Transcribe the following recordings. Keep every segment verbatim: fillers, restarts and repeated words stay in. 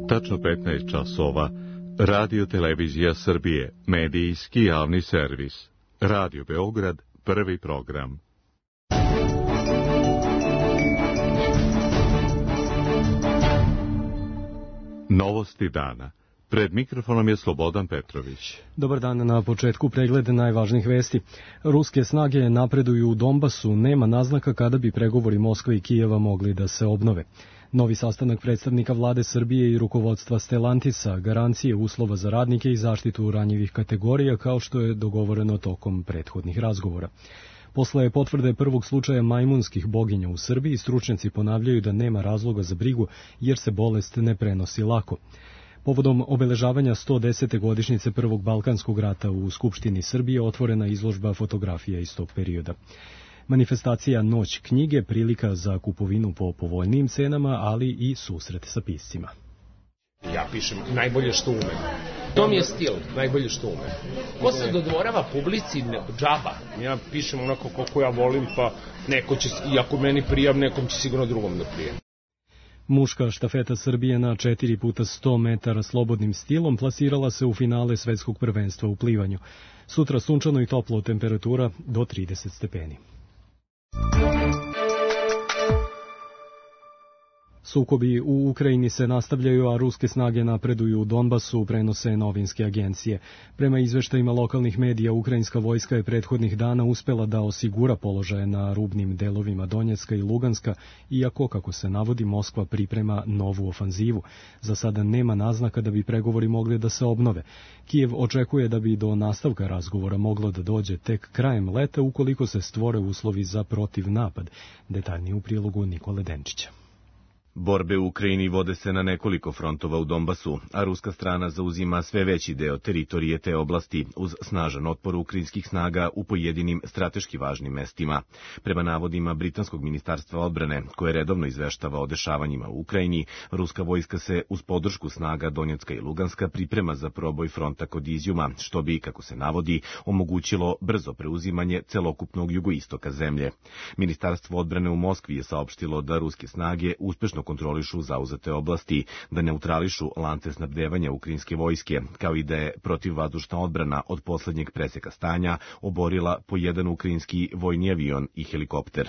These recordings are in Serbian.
Tačno petnaest časova. Radio Televizija Srbije, medijski javni servis. Radio Beograd, prvi program. Novosti dana. Pred mikrofonom je Slobodan Petrović. Dobar dan, na početku pregled najvažnijih vesti. Ruske snage napreduju u Donbasu, nema naznaka kada bi pregovori Moskve i Kijeva mogli da se obnove. Novi sastanak predstavnika vlade Srbije i rukovodstva Stellantisa, garancije uslova za radnike i zaštitu ranjivih kategorija, kao što je dogovoreno tokom prethodnih razgovora. Posle potvrde prvog slučaja majmunskih boginja u Srbiji, stručnjaci ponavljaju da nema razloga za brigu jer se bolest ne prenosi lako. Povodom obeležavanja sto desete godišnjice Prvog Balkanskog rata u Skupštini Srbije otvorena izložba fotografija iz tog perioda. Manifestacija Noć knjige, prilika za kupovinu po povoljnijim cenama, ali i susret sa piscima. Ja pišem najbolje što umem. To mi je stil, najbolje što umem. Ko se dodvorava publici, džaba. Ja pišem onako kako ja volim, pa neko će, i ako meni prijam, nekom će sigurno drugom da prijem. Muška štafeta Srbije na četiri puta sto metara slobodnim stilom plasirala se u finale svetskog prvenstva u plivanju. Sutra sunčano i toplo, temperatura do trideset stepeni. Sukobi u Ukrajini se nastavljaju, a ruske snage napreduju u Donbasu, prenose novinske agencije. Prema izveštajima lokalnih medija, ukrajinska vojska je prethodnih dana uspela da osigura položaje na rubnim delovima Donjecka i Luganska, iako, kako se navodi, Moskva priprema novu ofanzivu. Za sada nema naznaka da bi pregovori mogli da se obnove. Kijev očekuje da bi do nastavka razgovora moglo da dođe tek krajem leta ukoliko se stvore uslovi za protivnapad. Detaljnije u prilogu Nikole Denčića. Borbe u Ukrajini vode se na nekoliko frontova u Donbasu, a ruska strana zauzima sve veći deo teritorije te oblasti uz snažan otpor ukrajinskih snaga u pojedinim strateški važnim mestima. Prema navodima Britanskog ministarstva odbrane, koje redovno izveštava o dešavanjima u Ukrajini, ruska vojska se uz podršku snaga Donjecka i Luganska priprema za proboj fronta kod Izjuma, što bi, kako se navodi, omogućilo brzo preuzimanje celokupnog jugoistoka zemlje. Ministarstvo odbrane u Moskvi je saopštilo da ruske snage uspešno kontrolišu zauzete oblasti, da neutrališu lance snabdevanja ukrajinske vojske, kao i da je protivvazdušna odbrana od poslednjeg preseka stanja oborila po jedan ukrajinski vojni avion i helikopter.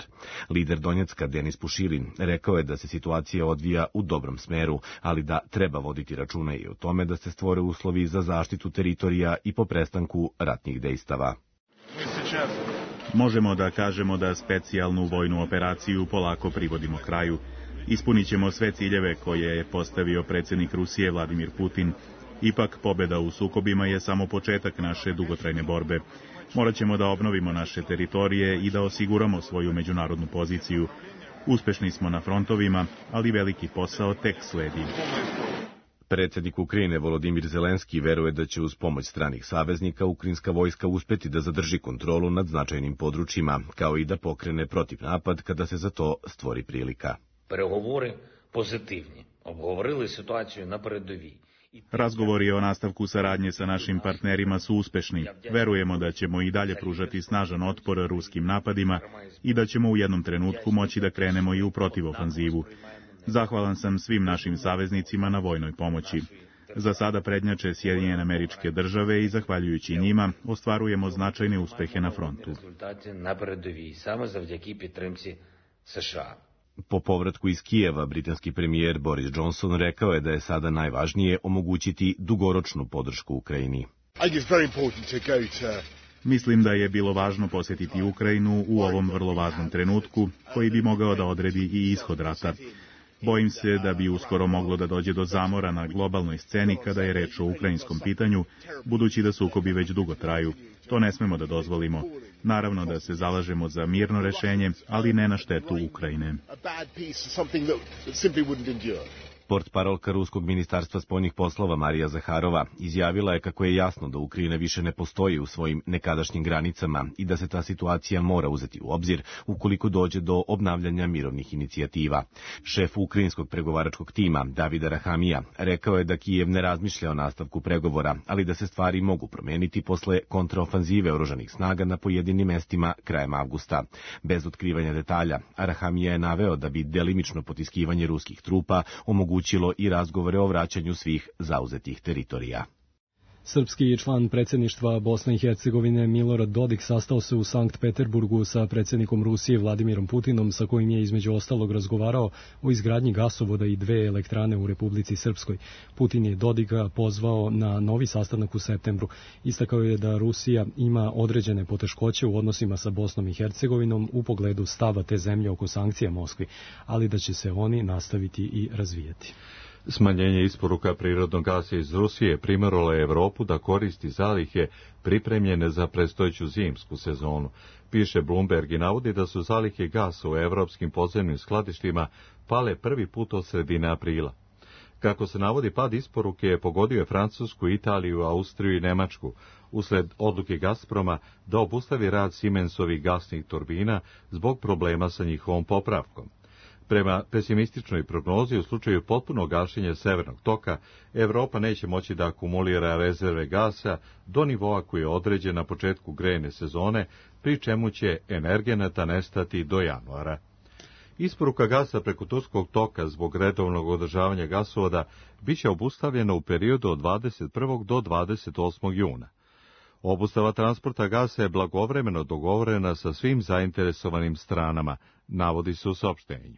Lider Donjecka Denis Pušilin rekao je da se situacija odvija u dobrom smeru, ali da treba voditi računa i o tome da se stvore uslovi za zaštitu teritorija i po prestanku ratnih dejstava. Možemo da kažemo da specijalnu vojnu operaciju polako privodimo kraju. Ispunit ćemo sve ciljeve koje je postavio predsjednik Rusije Vladimir Putin. Ipak, pobjeda u sukobima je samo početak naše dugotrajne borbe. Morat ćemo da obnovimo naše teritorije i da osiguramo svoju međunarodnu poziciju. Uspešni smo na frontovima, ali veliki posao tek sledi. Predsjednik Ukrajine Volodimir Zelenski veruje da će uz pomoć stranih saveznika ukrajinska vojska uspeti da zadrži kontrolu nad značajnim područjima, kao i da pokrene protivnapad kada se za to stvori prilika. Переговори позитивні. Обговорили ситуацію на передовій. Razgovori o nastavku saradnje sa našim partnerima su uspešni. Verujemo da ćemo i dalje pružati snažan otpor ruskim napadima i da ćemo u jednom trenutku moći da krenemo i u protivofanzivu. Zahvalan sam svim našim saveznicima na vojnoj pomoći. Za sada prednjače Sjedinjene Američke Države i zahvaljujući njima ostvarujemo značajne uspehe na frontu. Po povratku iz Kijeva, britanski premijer Boris Johnson rekao je da je sada najvažnije omogućiti dugoročnu podršku Ukrajini. Mislim da je bilo važno posjetiti Ukrajinu u ovom vrlo važnom trenutku, koji bi mogao da odredi i ishod rata. Bojim se da bi uskoro moglo da dođe do zamora na globalnoj sceni kada je reč o ukrajinskom pitanju, budući da sukobi već dugo traju. To ne smemo da dozvolimo. Naravno da se zalažemo za mirno rešenje, ali ne na štetu Ukrajine. Portparolka Ruskog ministarstva spoljnih poslova Marija Zaharova izjavila je kako je jasno da Ukrajina više ne postoji u svojim nekadašnjim granicama i da se ta situacija mora uzeti u obzir ukoliko dođe do obnavljanja mirovnih inicijativa. Šef ukrajinskog pregovaračkog tima, David Arahamija, rekao je da Kijev ne razmišlja o nastavku pregovora, ali da se stvari mogu promeniti posle kontraofanzive oružanih snaga na pojedinim mestima krajem avgusta. Bez otkrivanja detalja, Arahamija je naveo da bi delimično potiskivanje ruskih trupa omogućilo onemogućilo i razgovore o vraćanju svih zauzetih teritorija. Srpski član predsjedništva Bosne i Hercegovine Milorad Dodik sastao se u Sankt Peterburgu sa predsjednikom Rusije Vladimirom Putinom, sa kojim je između ostalog razgovarao o izgradnji gasovoda i dve elektrane u Republici Srpskoj. Putin je Dodika pozvao na novi sastanak u septembru. Istakao je da Rusija ima određene poteškoće u odnosima sa Bosnom i Hercegovinom u pogledu stava te zemlje oko sankcija Moskvi, ali da će se oni nastaviti i razvijati. Smanjenje isporuka prirodnog gasa iz Rusije primeralo je Evropu da koristi zalihe pripremljene za predstojeću zimsku sezonu. Piše Bloomberg i navodi da su zalihe gasa u evropskim podzemnim skladištima pale prvi put od sredine aprila. Kako se navodi, pad isporuke je pogodio Francusku, Italiju, Austriju i Nemačku, usled odluke Gazproma da obustavi rad Siemensovih gasnih turbina zbog problema sa njihovom popravkom. Prema pesimističnoj prognozi, u slučaju potpunog gašenja Severnog toka, Evropa neće moći da akumulira rezerve gasa do nivoa koji je određen na početku grejne sezone, pri čemu će energenata nestati do januara. Isporuka gasa preko Turskog toka zbog redovnog održavanja gasovoda biće obustavljena u periodu od dvadeset prvog do dvadeset osmog juna. Obustava transporta gasa je blagovremeno dogovorena sa svim zainteresovanim stranama, navodi se u saopštenju.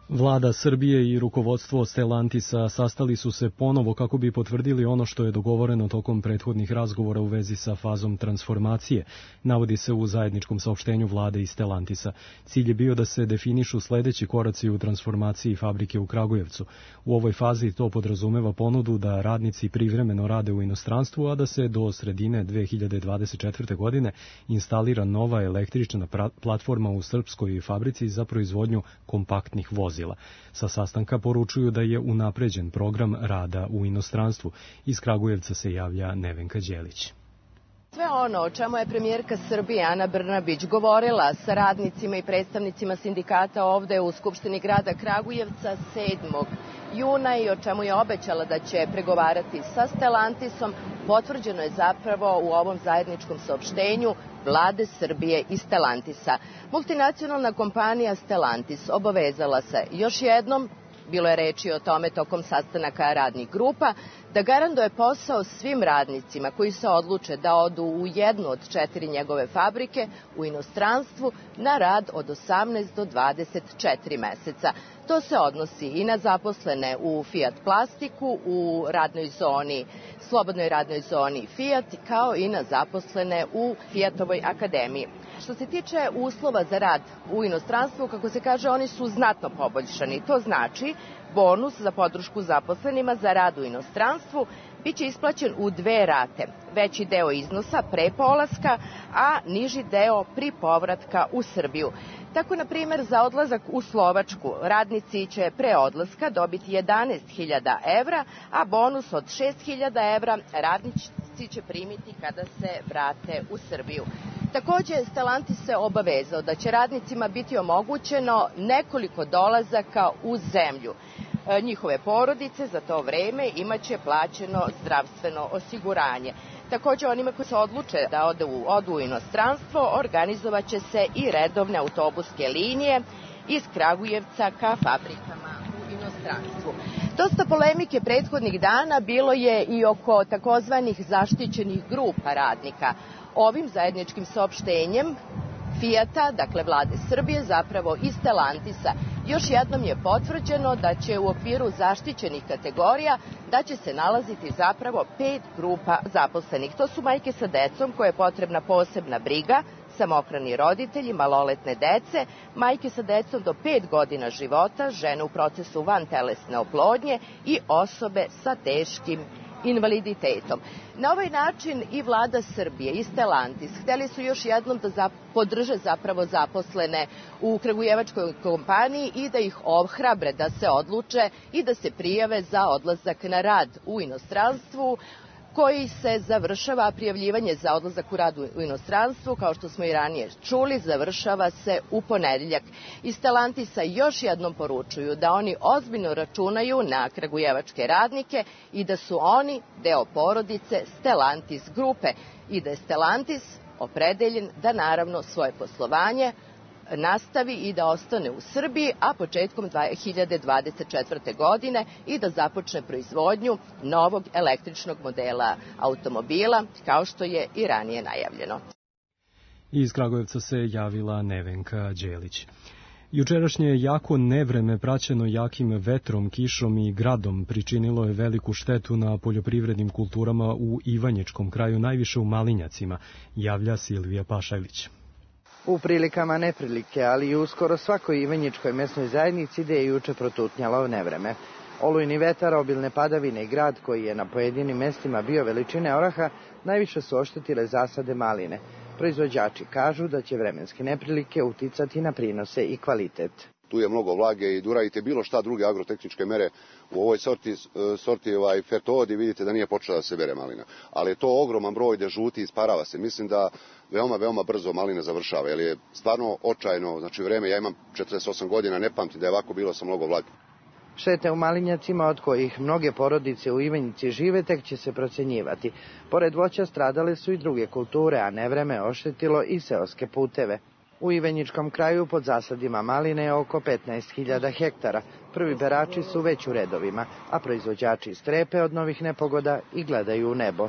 Vlada Srbije i rukovodstvo Stellantisa sastali su se ponovo kako bi potvrdili ono što je dogovoreno tokom prethodnih razgovora u vezi sa fazom transformacije, navodi se u zajedničkom saopštenju vlade i Stellantisa. Cilj je bio da se definišu sledeći koraci u transformaciji fabrike u Kragujevcu. U ovoj fazi to podrazumeva ponudu da radnici privremeno rade u inostranstvu, a da se do sredine dve hiljade dvadeset četvrte. godine instalira nova električna platforma u srpskoj fabrici za proizvodnju kompaktnih vozila. Sa sastanka poručuju da je unapređen program rada u inostranstvu. Iz Kragujevca se javlja Nevenka Đelić. Sve ono o čemu je premijerka Srbije Ana Brnabić govorila sa radnicima i predstavnicima sindikata ovde u Skupštini grada Kragujevca sedmog juna i o čemu je obećala da će pregovarati sa Stellantisom, potvrđeno je zapravo u ovom zajedničkom saopštenju vlade Srbije i Stellantisa. Multinacionalna kompanija Stellantis obavezala se još jednom, bilo je reči o tome tokom sastanaka radnih grupa, da garantuje posao svim radnicima koji se odluče da odu u jednu od četiri njegove fabrike u inostranstvu na rad od osamnaest do dvadeset četiri meseca. To se odnosi i na zaposlene u Fiat Plastiku, u radnoj zoni, slobodnoj radnoj zoni Fiat, kao i na zaposlene u Fiatovoj akademiji. Što se tiče uslova za rad u inostranstvu, kako se kaže, oni su znatno poboljšani. To znači bonus za podršku zaposlenima za rad u inostranstvu biće isplaćen u dve rate. Veći deo iznosa pre polaska, a niži deo pri povratka u Srbiju. Tako, na primjer, za odlazak u Slovačku radnici će pre odlaska dobiti jedanaest hiljada evra, a bonus od šest hiljada evra radnici će primiti kada se vrate u Srbiju. Takođe, Stellantis se obavezao da će radnicima biti omogućeno nekoliko dolazaka u zemlju. Njihove porodice za to vreme imaće plaćeno zdravstveno osiguranje. Takođe, onima koji se odluče da odu, odu u inostranstvo, organizovaće se i redovne autobuske linije iz Kragujevca ka fabrikama u inostranstvu. Dosta polemike prethodnih dana bilo je i oko takozvanih zaštićenih grupa radnika. Ovim zajedničkim saopštenjem Fijata, dakle vlade Srbije, zapravo i Stellantisa, još jednom je potvrđeno da će u okviru zaštićenih kategorija da će se nalaziti zapravo pet grupa zaposlenih. To su majke sa decom koje je potrebna posebna briga, samohrani roditelji, maloletne dece, majke sa decom do pet godina života, žene u procesu vantelesne oplodnje i osobe sa teškim invaliditetom. Na ovaj način i vlada Srbije i Stellantis hteli su još jednom da podrže zapravo zaposlene u kragujevačkoj kompaniji i da ih ohrabre da se odluče i da se prijave za odlazak na rad u inostranstvu, koji se završava, prijavljivanje za odlazak u rad u inostranstvu, kao što smo i ranije čuli, završava se u ponedeljak. Iz Stellantisa još jednom poručuju da oni ozbiljno računaju na kragujevačke radnike i da su oni deo porodice Stellantis grupe i da je Stellantis opredeljen da naravno svoje poslovanje nastavi i da ostane u Srbiji, a početkom dve hiljade dvadeset četvrte. godine i da započne proizvodnju novog električnog modela automobila, kao što je i ranije najavljeno. Iz Kragujevca se javila Nevenka Đelić. Jučerašnje jako nevreme praćeno jakim vetrom, kišom i gradom pričinilo je veliku štetu na poljoprivrednim kulturama u Ivanjičkom kraju, najviše u Malinjacima, javlja Silvija Pašajlić. U prilikama neprilike, ali i u skoro svakoj ivanjičkoj mesnoj zajednici gde je juče protutnjalo nevreme. Olujni vetar, obilne padavine i grad koji je na pojedinim mestima bio veličine oraha, najviše su oštetile zasade maline. Proizvođači kažu da će vremenske neprilike uticati na prinose i kvalitet. Tu je mnogo vlage i da uradite bilo šta druge agrotehničke mere u ovoj sorti, sorti ovaj Fertodi, vidite da nije počela da se bere malina. Ali je to ogroman broj da žuti isparava se. Mislim da veoma, veoma brzo malina završava, jer je stvarno očajno, znači vreme, ja imam četrdeset osam godina, ne pamtim da je ovako bilo sa mnogo vlage. Štete u Malinjacima, od kojih mnoge porodice u Ivanjici žive, tek će se procenjivati. Pored voća stradale su i druge kulture, a nevreme oštetilo i seoske puteve. U Ivanjičkom kraju pod zasadima maline je oko petnaest hiljada hektara. Prvi berači su već u redovima, a proizvođači strepe od novih nepogoda i gledaju u nebo.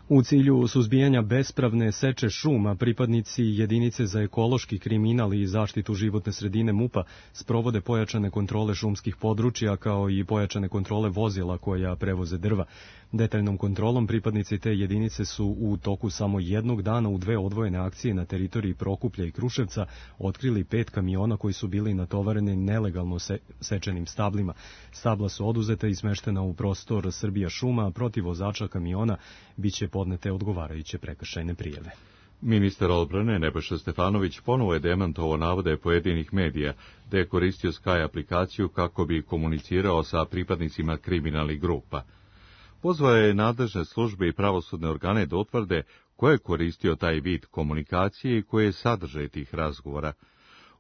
U cilju suzbijanja bespravne seče šuma, pripadnici jedinice za ekološki kriminal i zaštitu životne sredine MUP-a sprovode pojačane kontrole šumskih područja kao i pojačane kontrole vozila koja prevoze drva. Detaljnom kontrolom pripadnici te jedinice su u toku samo jednog dana u dve odvojene akcije na teritoriji Prokuplja i Kruševca otkrili pet kamiona koji su bili natovareni nelegalno se, sečenim stablima. Stabla su oduzeta i smeštena u prostor Srbija šuma, a protiv vozača kamiona biće podnete odgovarajuće prekršajne prijave. Ministar odbrane Nebojša Stefanović ponovo je demantovao navode pojedinih medija da je koristio Sky aplikaciju kako bi komunicirao sa pripadnicima kriminalnih grupa. Pozvao je nadležne službe i pravosudne organe da utvrde ko je koristio taj vid komunikacije i koje je sadržaj tih razgovora.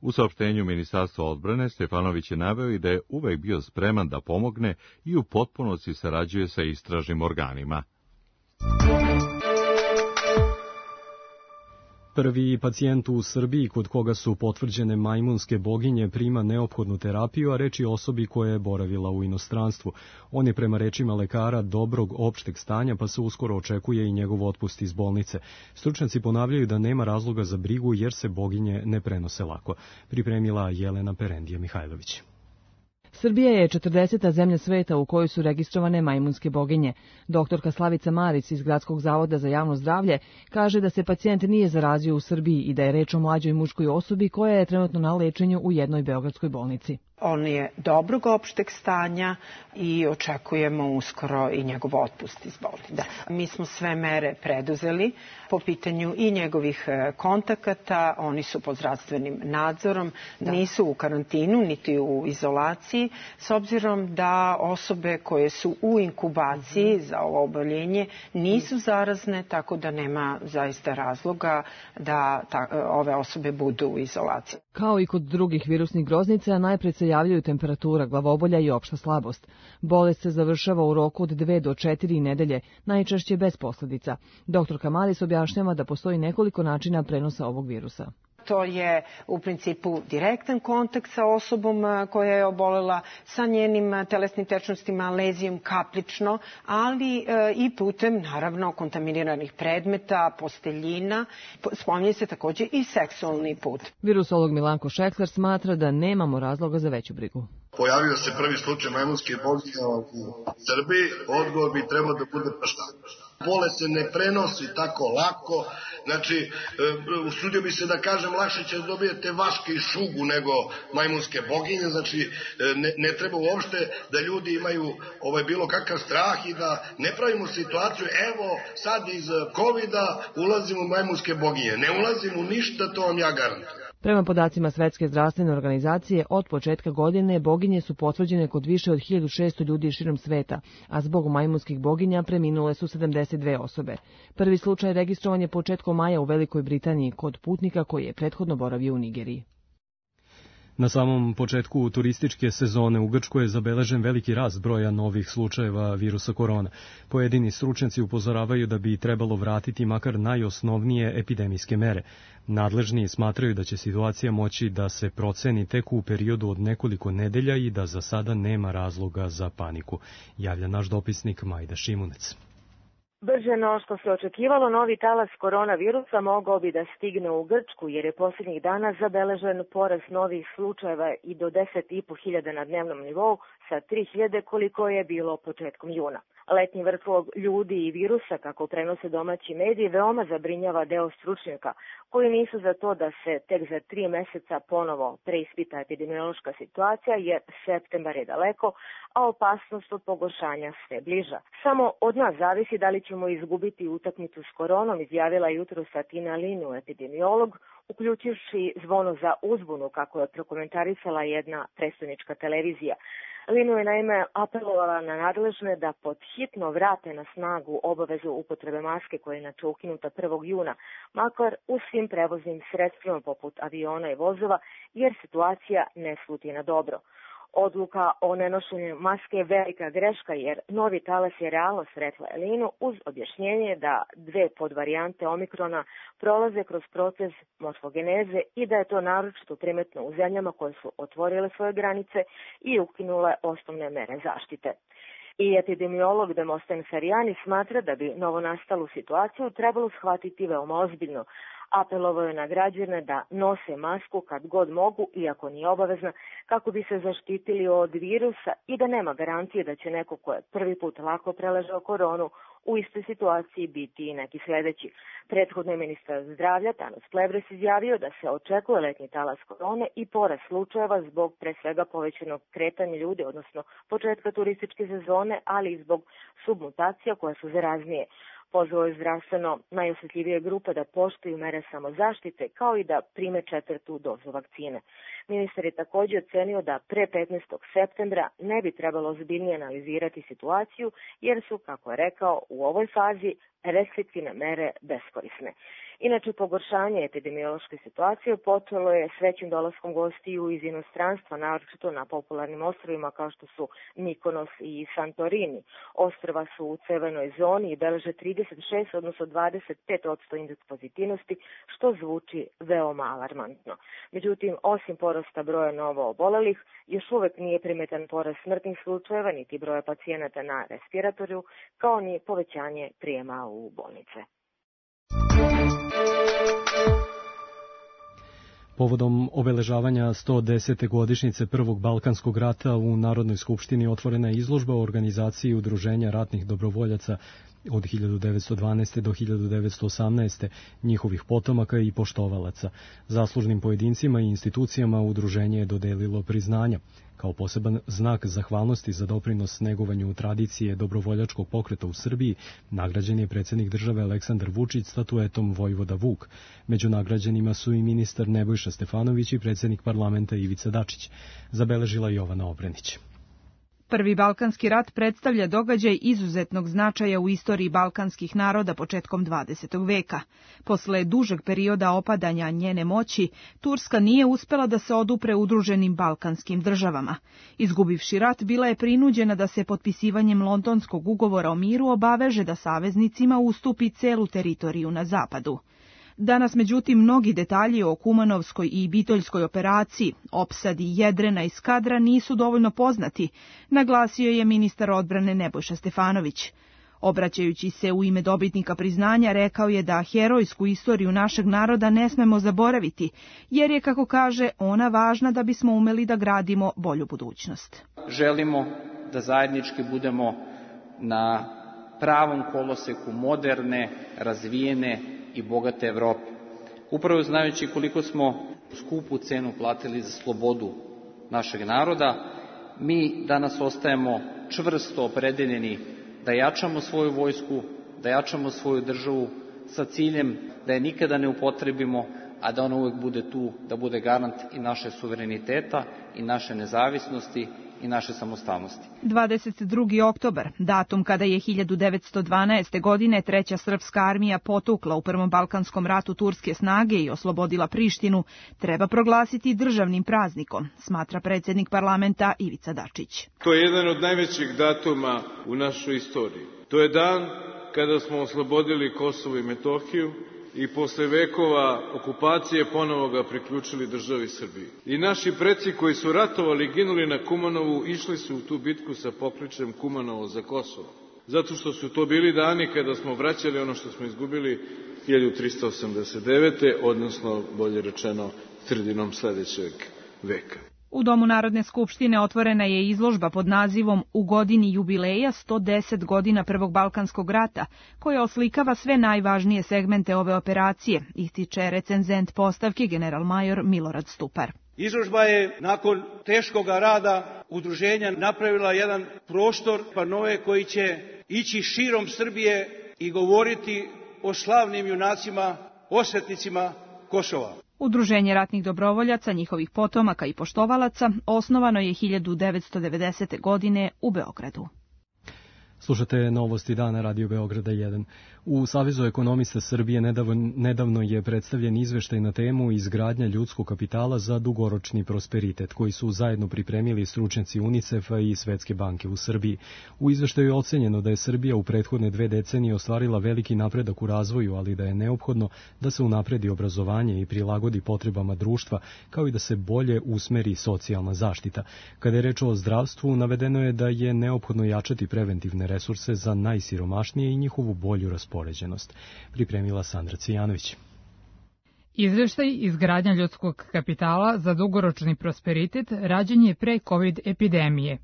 U saopštenju Ministarstva odbrane Stefanović je naveo i da je uvek bio spreman da pomogne i u potpunosti sarađuje sa istražnim organima. Prvi pacijent u Srbiji kod koga su potvrđene majmunske boginje prima neophodnu terapiju, a reč je o osobi koja je boravila u inostranstvu. On je prema rečima lekara dobrog opšteg stanja, pa se uskoro očekuje i njegov otpust iz bolnice. Stručnjaci ponavljaju da nema razloga za brigu jer se boginje ne prenose lako. Pripremila Jelena Perendija Mihajlović. Srbija je četrdeseta zemlja sveta u kojoj su registrovane majmunske boginje. Doktorka Slavica Marić iz Gradskog zavoda za javno zdravlje kaže da se pacijent nije zarazio u Srbiji i da je reč o mlađoj muškoj osobi koja je trenutno na lečenju u jednoj beogradskoj bolnici. On je dobrog opšteg stanja i očekujemo uskoro i njegov otpust iz bolnice. Da. Mi smo sve mere preduzeli po pitanju i njegovih kontakata, oni su pod zdravstvenim nadzorom, da. Nisu u karantinu niti u izolaciji, s obzirom da osobe koje su u inkubaciji za ovo oboljenje nisu zarazne, tako da nema zaista razloga da ta, ove osobe budu u izolaciji. Kao i kod drugih virusnih groznica, najpre se javljaju temperatura, glavobolja i opšta slabost. Bolest se završava u roku od dve do četiri nedelje, najčešće bez posledica. Doktorka Maris objašnjava da postoji nekoliko načina prenosa ovog virusa. To je u principu direktan kontakt sa osobom koja je obolela, sa njenim telesnim tečnostima, lezijom kaplično, ali e, i putem, naravno, kontaminiranih predmeta, posteljina. Spominje se takođe i seksualni put. Virusolog Milanko Šekler smatra da nemamo razloga za veću brigu. Pojavio se prvi slučaj majmunske boginje u Srbiji, odgovor bi trebao da bude pa šta? Bolest se ne prenosi tako lako, znači, usudio bi se da kažem, lakše će dobijete vaške i šugu nego majmunske boginje, znači, ne, ne treba uopšte da ljudi imaju ovaj bilo kakav strah i da ne pravimo situaciju, evo, sad iz kovida ulazimo u majmunske boginje. Ne ulazimo u ništa, to vam ja garantujem. Prema podacima Svetske zdravstvene organizacije, od početka godine boginje su potvrđene kod više od hiljadu šesto ljudi širom sveta, a zbog majmunskih boginja preminule su sedamdeset dve osobe. Prvi slučaj registrovan je početkom maja u Velikoj Britaniji kod putnika koji je prethodno boravio u Nigeriji. Na samom početku turističke sezone u Grčkoj je zabeležen veliki rast broja novih slučajeva virusa korona. Pojedini stručnjaci upozoravaju da bi trebalo vratiti makar najosnovnije epidemijske mere. Nadležni smatraju da će situacija moći da se proceni tek u periodu od nekoliko nedelja i da za sada nema razloga za paniku, javlja naš dopisnik Majda Šimunec. Brže no što se očekivalo, novi talas koronavirusa mogao bi da stigne u Grčku, jer je posljednjih dana zabeležen porast novih slučajeva i do deset i po hiljada na dnevnom nivou sa tri hiljade koliko je bilo početkom juna. Letnji vrtlog ljudi i virusa, kako prenose domaći mediji, veoma zabrinjava deo stručnjaka, koji nisu za to da se tek za tri meseca ponovo preispita epidemiološka situacija, jer septembar je daleko, a opasnost od pogoršanja sve bliža. Samo od nas zavisi da li ćemo izgubiti utakmicu s koronom, izjavila jutro Satina Linu, epidemiolog, uključivši zvono za uzbunu, kako je prokomentarisala jedna prestonička televizija. Linu je naime apelovala na nadležne da pod hitno vrate na snagu obavezu upotrebe maske koja je inače ukinuta prvog juna, makar u svim prevoznim sredstvima poput aviona i vozova, jer situacija ne sluti na dobro. Odluka o nenošenju maske je velika greška, jer novi talas je realno, rekla je Linu, uz objašnjenje da dve podvarijante omikrona prolaze kroz proces morfogeneze i da je to naročito primetno u zemljama koje su otvorile svoje granice i ukinule osnovne mere zaštite. I epidemiolog Demosten Ferijani smatra da bi novonastalu situaciju trebalo shvatiti veoma ozbiljno. Apelovao je na građane da nose masku kad god mogu, iako nije obavezna, kako bi se zaštitili od virusa i da nema garancije da će neko ko je prvi put lako preležao koronu u istoj situaciji biti i neki sledeći. Prethodno je ministar zdravlja Tanos Plevres izjavio da se očekuje letnji talas korone i porast slučajeva zbog pre svega povećanog kretanja ljudi, odnosno početka turističke sezone, ali i zbog submutacija koje su zaraznije. Pozvao je zdravstveno najosjetljivije grupe da poštuju mere samozaštite, kao i da prime četvrtu dozu vakcine. Ministar je također ocenio da pre petnaestog septembra ne bi trebalo ozbiljnije analizirati situaciju, jer su, kako je rekao, u ovoj fazi restriktivne mere beskorisne. Inače, pogoršanje epidemiološke situacije počelo je s većim dolaskom gostiju iz inostranstva, naročito na popularnim ostrvima kao što su Mikonos i Santorini. Ostrva su u crvenoj zoni i beleže trideset šest, odnosno dvadeset pet posto indeks pozitivnosti, što zvuči veoma alarmantno. Međutim, osim porasta broja novo obolelih, još uvek nije primetan porast smrtnih slučajeva, niti broja pacijenata na respiratoriju, kao ni povećanje prijema u bolnice. Povodom obeležavanja sto desete godišnjice Prvog Balkanskog rata u Narodnoj skupštini otvorena je izložba o organizaciji Udruženja ratnih dobrovoljaca od hiljadu devetsto dvanaeste. do hiljadu devetsto osamnaeste. njihovih potomaka i poštovalaca. Zaslužnim pojedincima i institucijama udruženje je dodelilo priznanja. Kao poseban znak zahvalnosti za doprinos negovanju tradicije dobrovoljačkog pokreta u Srbiji, nagrađen je predsjednik države Aleksandar Vučić statuetom Vojvoda Vuk. Među nagrađenima su i ministar Nebojša Stefanović i predsjednik parlamenta Ivica Dačić, zabeležila Jovana Obrenić. Prvi Balkanski rat predstavlja događaj izuzetnog značaja u istoriji balkanskih naroda početkom dvadesetog veka. Posle dužeg perioda opadanja njene moći, Turska nije uspela da se odupre udruženim balkanskim državama. Izgubivši rat, bila je prinuđena da se potpisivanjem Londonskog ugovora o miru obaveže da saveznicima ustupi celu teritoriju na zapadu. Danas, međutim, mnogi detalji o Kumanovskoj i Bitoljskoj operaciji, opsadi Jedrena i Skadra nisu dovoljno poznati, naglasio je ministar odbrane Nebojša Stefanović. Obraćajući se u ime dobitnika priznanja, rekao je da herojsku istoriju našeg naroda ne smemo zaboraviti, jer je, kako kaže, ona važna da bismo umeli da gradimo bolju budućnost. Želimo da zajednički budemo na pravom koloseku moderne, razvijene i bogate Evrope. Upravo znajući koliko smo skupu cenu platili za slobodu našeg naroda, mi danas ostajemo čvrsto opredeljeni da jačamo svoju vojsku, da jačamo svoju državu sa ciljem da je nikada ne upotrebimo, a da ona uvek bude tu, da bude garant i naše suvereniteta i naše nezavisnosti i naše samostalnosti. dvadeset drugi oktobar, datum kada je hiljadu devetsto dvanaeste. godine Treća srpska armija potukla u Prvom balkanskom ratu turske snage i oslobodila Prištinu, treba proglasiti državnim praznikom, smatra predsjednik parlamenta Ivica Dačić. To je jedan od najvećih datuma u našoj istoriji. To je dan kada smo oslobodili Kosovo i Metohiju i posle vekova okupacije ponovo ga priključili državi Srbiji. I naši preci koji su ratovali i ginuli na Kumanovu išli su u tu bitku sa pokličem Kumanovo za Kosovo. Zato što su to bili dani kada smo vraćali ono što smo izgubili hiljadu trista osamdeset devete. odnosno, bolje rečeno, sredinom sledećeg veka. U Domu Narodne skupštine otvorena je izložba pod nazivom U godini jubileja sto deset godina Prvog balkanskog rata, koja oslikava sve najvažnije segmente ove operacije, ističe recenzent postavke generalmajor Milorad Stupar. Izložba je nakon teškog rada udruženja napravila jedan prostor panove koji će ići širom Srbije i govoriti o slavnim junacima, osvetnicima Kosova. Udruženje ratnih dobrovoljaca, njihovih potomaka i poštovalaca osnovano je hiljadu devetsto devedesete. godine u Beogradu. Slušate novosti dana Radio Beograda jedan. U Savezu ekonomista Srbije nedavno, nedavno je predstavljen izveštaj na temu izgradnja ljudskog kapitala za dugoročni prosperitet, koji su zajedno pripremili stručnjaci UNICEF-a i Svetske banke u Srbiji. U izveštaju je ocenjeno da je Srbija u prethodne dve decenije ostvarila veliki napredak u razvoju, ali da je neophodno da se unapredi obrazovanje i prilagodi potrebama društva, kao i da se bolje usmeri socijalna zaštita. Kada je reč o zdravstvu, navedeno je da je neophodno jačati preventivne resurse za najsiromašnije i njihovu bolju raspoređenost. Pripremila Sandra Cijanović. Izveštaj izgradnja ljudskog kapitala za dugoročni prosperitet rađen je pre COVID epidemije.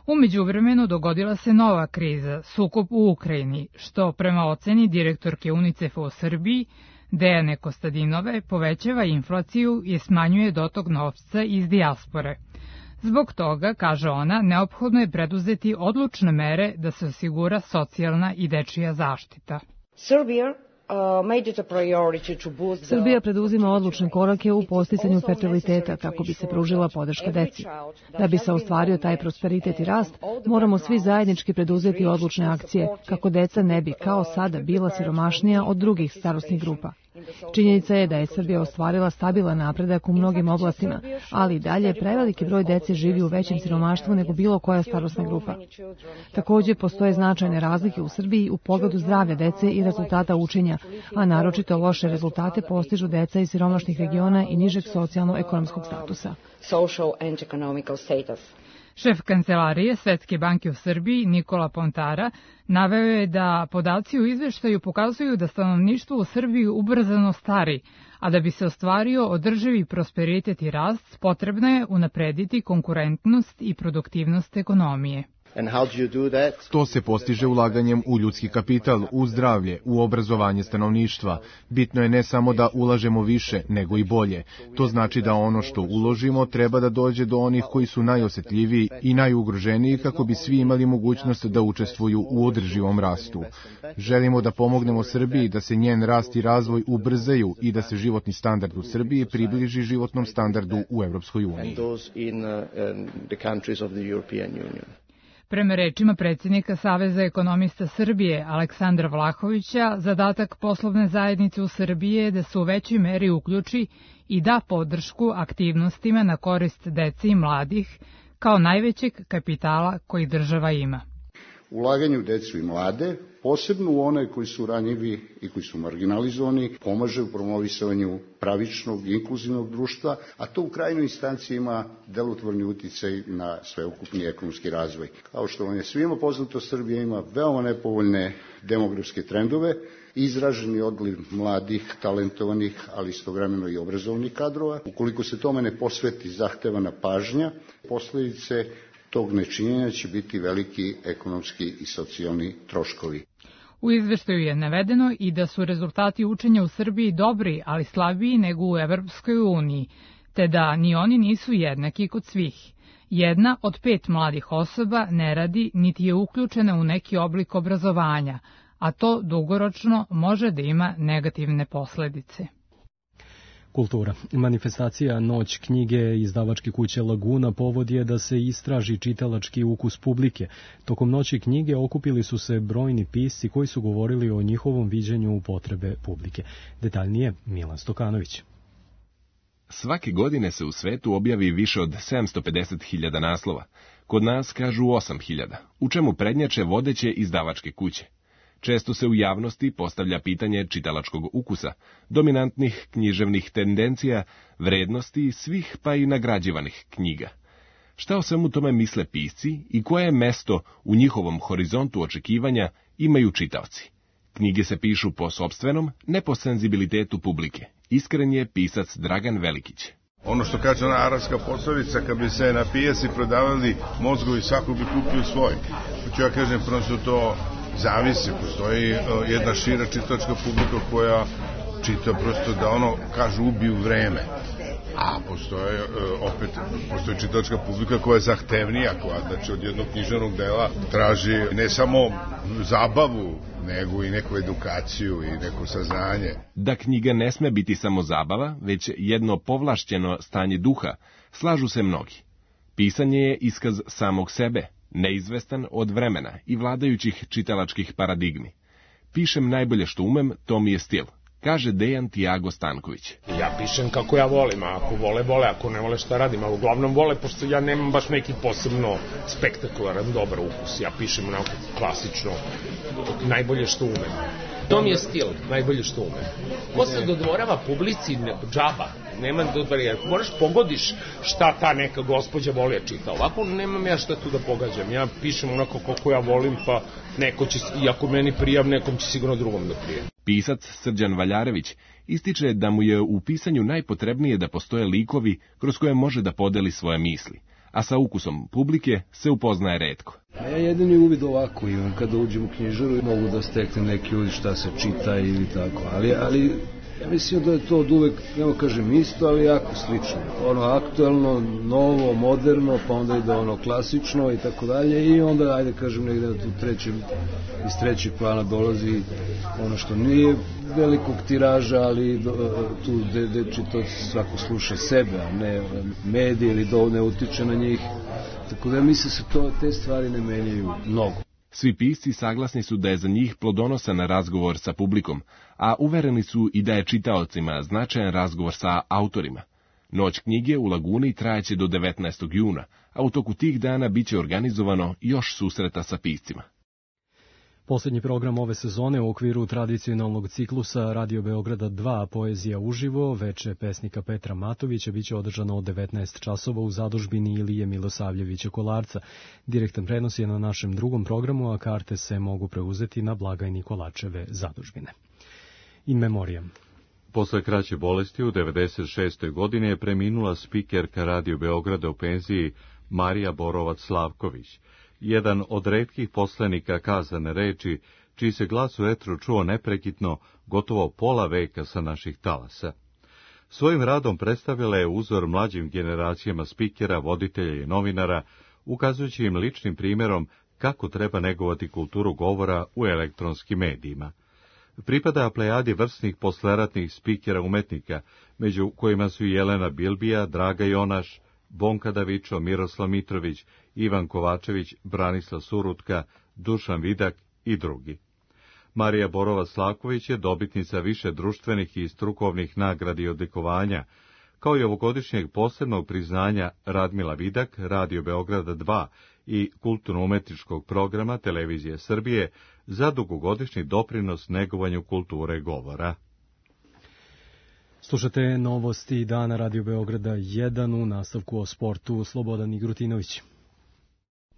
U međuvremenu dogodila se nova kriza, sukob u Ukrajini, što prema oceni direktorke UNICEF-a u Srbiji, Dejane Kostadinove, povećava inflaciju i smanjuje dotok novca iz dijaspore. Zbog toga, kaže ona, neophodno je preduzeti odlučne mere da se osigura socijalna i dečija zaštita. Srbija preduzima odlučne korake u posticanju fertiliteta kako bi se pružila podrška deci. Da bi se ostvario taj prosperitet i rast, moramo svi zajednički preduzeti odlučne akcije kako deca ne bi kao sada bila siromašnija od drugih starosnih grupa. Činjenica je da je Srbija ostvarila stabilan napredak u mnogim oblastima, ali i dalje preveliki broj dece živi u većem siromaštvu nego bilo koja starosna grupa. Također postoje značajne razlike u Srbiji u pogledu zdravlja dece i rezultata učenja, a naročito loše rezultate postižu deca iz siromašnih regiona i nižeg socijalno-ekonomskog statusa. Šef kancelarije Svetske banke u Srbiji, Nikola Pontara, naveo je da podaci u izveštaju pokazuju da stanovništvo u Srbiji ubrzano stari, a da bi se ostvario održivi prosperitet i rast, potrebno je unaprediti konkurentnost i produktivnost ekonomije. To se postiže ulaganjem u ljudski kapital, u zdravlje, u obrazovanje stanovništva. Bitno je ne samo da ulažemo više, nego i bolje. To znači da ono što uložimo treba da dođe do onih koji su najosetljiviji i najugroženiji kako bi svi imali mogućnost da učestvuju u održivom rastu. Želimo da pomognemo Srbiji da se njen rast i razvoj ubrzaju i da se životni standard u Srbiji približi životnom standardu u Evropskoj uniji. Prema rečima predsjednika Saveza ekonomista Srbije Aleksandra Vlahovića, zadatak poslovne zajednice u Srbiji je da se u većoj meri uključi i da podršku aktivnostima na korist dece i mladih kao najvećeg kapitala koji država ima. Ulaganje u decu i mlade, posebno u one koji su ranjivi i koji su marginalizovani, pomaže u promovisanju pravičnog i inkluzivnog društva, a to u krajnjoj instanciji ima delotvorni uticaj na sveukupni ekonomski razvoj. Kao što vam je svima poznato, Srbija ima veoma nepovoljne demografske trendove, izraženi odliv mladih, talentovanih, ali istovremeno i obrazovnih kadrova. Ukoliko se tome ne posveti zahtevana pažnja, posledice tog nečinjenja će biti veliki ekonomski i socijalni troškovi. U izveštaju je navedeno i da su rezultati učenja u Srbiji dobri, ali slabiji nego u Evropskoj uniji, te da ni oni nisu jednaki kod svih. Jedna od pet mladih osoba ne radi niti je uključena u neki oblik obrazovanja, a to dugoročno može da ima negativne posledice. Kultura. Manifestacija Noć knjige izdavačke kuće Laguna povod je da se istraži čitalački ukus publike. Tokom Noći knjige okupili su se brojni pisci koji su govorili o njihovom viđenju potrebe publike. Detaljnije Milan Stokanović. Svake godine se u svetu objavi više od sedamsto pedeset hiljada naslova. Kod nas kažu osam hiljada, u čemu prednjače vodeće izdavačke kuće. Često se u javnosti postavlja pitanje čitalačkog ukusa, dominantnih književnih tendencija, vrednosti svih pa i nagrađivanih knjiga. Šta o svemu tome misle pisci i koje mesto u njihovom horizontu očekivanja imaju čitaoci? Knjige se pišu po sopstvenom, ne po senzibilitetu publike. Iskren je pisac Dragan Velikić. Ono što kaže ona arapska poslovica, kad bi se na pijaci prodavali mozgovi, svako bi kupio svoj. Hoću ja kažem, prosto to zavisi. Postoji jedna šira čitačka publika koja čita prosto da ono, kažu, ubiju vreme. A postoje, opet, postoji čitačka publika koja je zahtevnija, koja, znači, od jednog književnog dela traži ne samo zabavu, nego i neku edukaciju i neko saznanje. Da knjiga ne sme biti samo zabava, već jedno povlašćeno stanje duha, slažu se mnogi. Pisanje je iskaz samog sebe, neizvestan od vremena i vladajućih čitalačkih paradigmi. Pišem najbolje što umem, to mi je stil, kaže Dejan Tiago Stanković. Ja pišem kako ja volim, a ako vole, vole, ako ne vole šta radim, ali uglavnom vole, pošto ja nemam baš neki posebno spektakularan, dobar ukus. Ja pišem onako klasično, najbolje što umem. To mi je stil, najbolje što umem. Ko se dodvorava publici, džaba, nema dodvorija, moraš pogodiš šta ta neka gospođa voli da čita. Ovako nemam ja šta tu da pogađam, ja pišem onako kako ja volim, pa neko će, i ako meni prijav, nekom će sigurno drugom da prije. Pisac Srđan Valjarević ističe da mu je u pisanju najpotrebnije da postoje likovi kroz koje može da podeli svoje misli, a sa ukusom publike se upoznaje retko. A ja jedini uvid ovako imam, kada uđem u knjižaru mogu da steknem neki uvid šta se čita ili tako, ali, ali ja mislim da je to od uvek, nema kažem isto, ali jako slično. Ono aktuelno, novo, moderno, pa onda ide ono klasično i tako dalje i onda, ajde kažem, negde na tu trećem, iz trećeg plana dolazi ono što nije velikog tiraža, ali do, tu gde, gde to svako sluša sebe, a ne medije ili do ne utiče na njih. Tako da mislim se to, te stvari ne menjaju mnogo. Svi pisci saglasni su da je za njih plodonosan razgovor sa publikom, a uvereni su i da je čitaocima značajan razgovor sa autorima. Noć knjige u Laguni trajaće do devetnaestog juna, a u toku tih dana biće organizovano još susreta sa piscima. Poslednji program ove sezone u okviru tradicionalnog ciklusa Radio Beograda dva Poezija uživo, veče pesnika Petra Matovića, biće održano od devetnaest časova u zadužbini Ilije Milosavljevića Kolarca. Direktan prenos je na našem drugom programu, a karte se mogu preuzeti na blagajni Kolačeve zadužbine. In memoriam. Posle kraće bolesti u devedeset šestoj godini je preminula spikerka Radio Beograda u penziji Marija Borovac-Slavković, jedan od retkih poslenika kazane reči, čiji se glas u etru čuo neprekitno gotovo pola veka sa naših talasa. Svojim radom predstavila je uzor mlađim generacijama spikera, voditelja i novinara, ukazujući im ličnim primjerom kako treba negovati kulturu govora u elektronskim medijima. Pripada plejadi vrsnih posleratnih spikera umetnika, među kojima su Jelena Bilbija, Draga Jonaš, Bonka Davičo, Miroslav Mitrović, Ivan Kovačević, Branislav Surutka, Dušan Vidak i drugi. Marija Borovac-Slavković je dobitnica više društvenih i strukovnih nagrada i odlikovanja, kao i ovogodišnjeg posebnog priznanja Radmila Vidak, Radio Beograda dva i kulturno-umetničkog programa Televizije Srbije za dugogodišnji doprinos negovanju kulture govora. Slušate novosti dana Radio Beograda jedan u nastavku o sportu. Slobodan Igrutinović.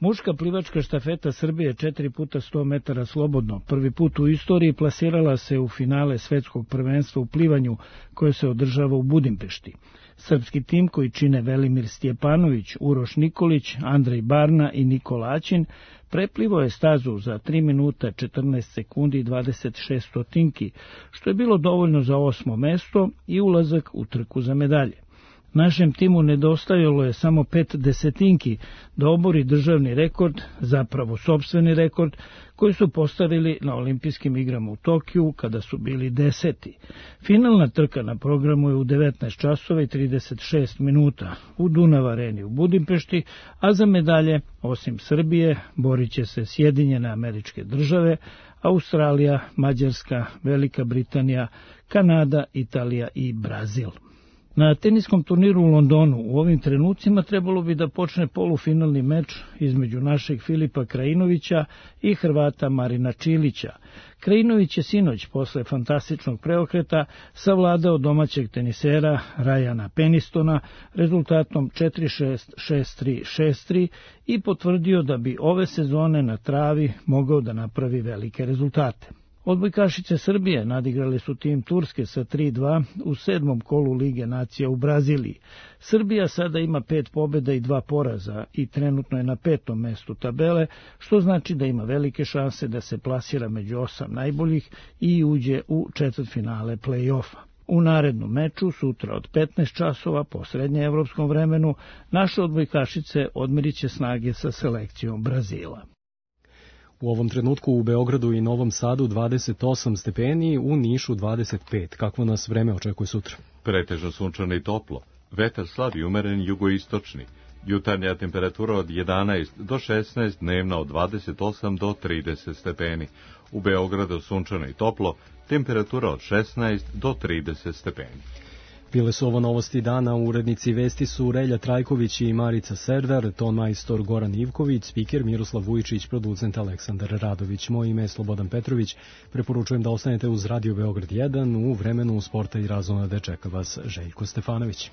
Muška plivačka štafeta Srbije četiri puta sto metara slobodno prvi put u istoriji plasirala se u finale svetskog prvenstva u plivanju koje se održava u Budimpešti. Srpski tim koji čine Velimir Stjepanović, Uroš Nikolić, Andrej Barna i Nikola Aćin preplivao je stazu za tri minuta četrnaest sekundi i dvadeset šest stotinki, što je bilo dovoljno za osmo mesto i ulazak u trku za medalje. Našem timu nedostajalo je samo pet desetinki da obori državni rekord, zapravo sopstveni rekord, koji su postavili na olimpijskim igrama u Tokiju kada su bili deseti. Finalna trka na programu je u devetnaest časova i trideset šest minuta u Dunav areni u Budimpešti, a za medalje, osim Srbije, borit će se Sjedinjene Američke Države, Australija, Mađarska, Velika Britanija, Kanada, Italija i Brazil. Na teniskom turniru u Londonu u ovim trenucima trebalo bi da počne polufinalni meč između našeg Filipa Krajinovića i Hrvata Marina Čilića. Krajinović je sinoć posle fantastičnog preokreta savladao domaćeg tenisera Rajana Penistona rezultatom četiri šest, šest tri, šest tri i potvrdio da bi ove sezone na travi mogao da napravi velike rezultate. Odbojkašice Srbije nadigrale su tim Turske sa tri dva u sedmom kolu Lige nacija u Braziliji. Srbija sada ima pet pobjeda i dva poraza i trenutno je na petom mestu tabele, što znači da ima velike šanse da se plasira među osam najboljih i uđe u četvrtfinale play-offa. U narednom meču, sutra od petnaest časova po srednjeevropskom vremenu, naše odbojkašice odmerit će snage sa selekcijom Brazila. U ovom trenutku u Beogradu i Novom Sadu dvadeset osam stepeni, u Nišu dvadeset pet. Kakvo nas vreme očekuje sutra? Pretežno sunčano i toplo. Vetar slab i umeren jugoistočni. Jutarnja temperatura od jedanaest do šesnaest, dnevna od dvadeset osam do trideset stepeni. U Beogradu sunčano i toplo, temperatura od šesnaest do trideset stepeni. Bile su ovo novosti dana, urednici vesti su Relja Trajković i Marica Serdar, ton majstor Goran Ivković, spiker Miroslav Vujčić, producent Aleksandar Radović. Moje ime je Slobodan Petrović. Preporučujem da ostanete uz Radio Beograd jedan u vremenu sporta i razona, da čeka vas Željko Stefanović.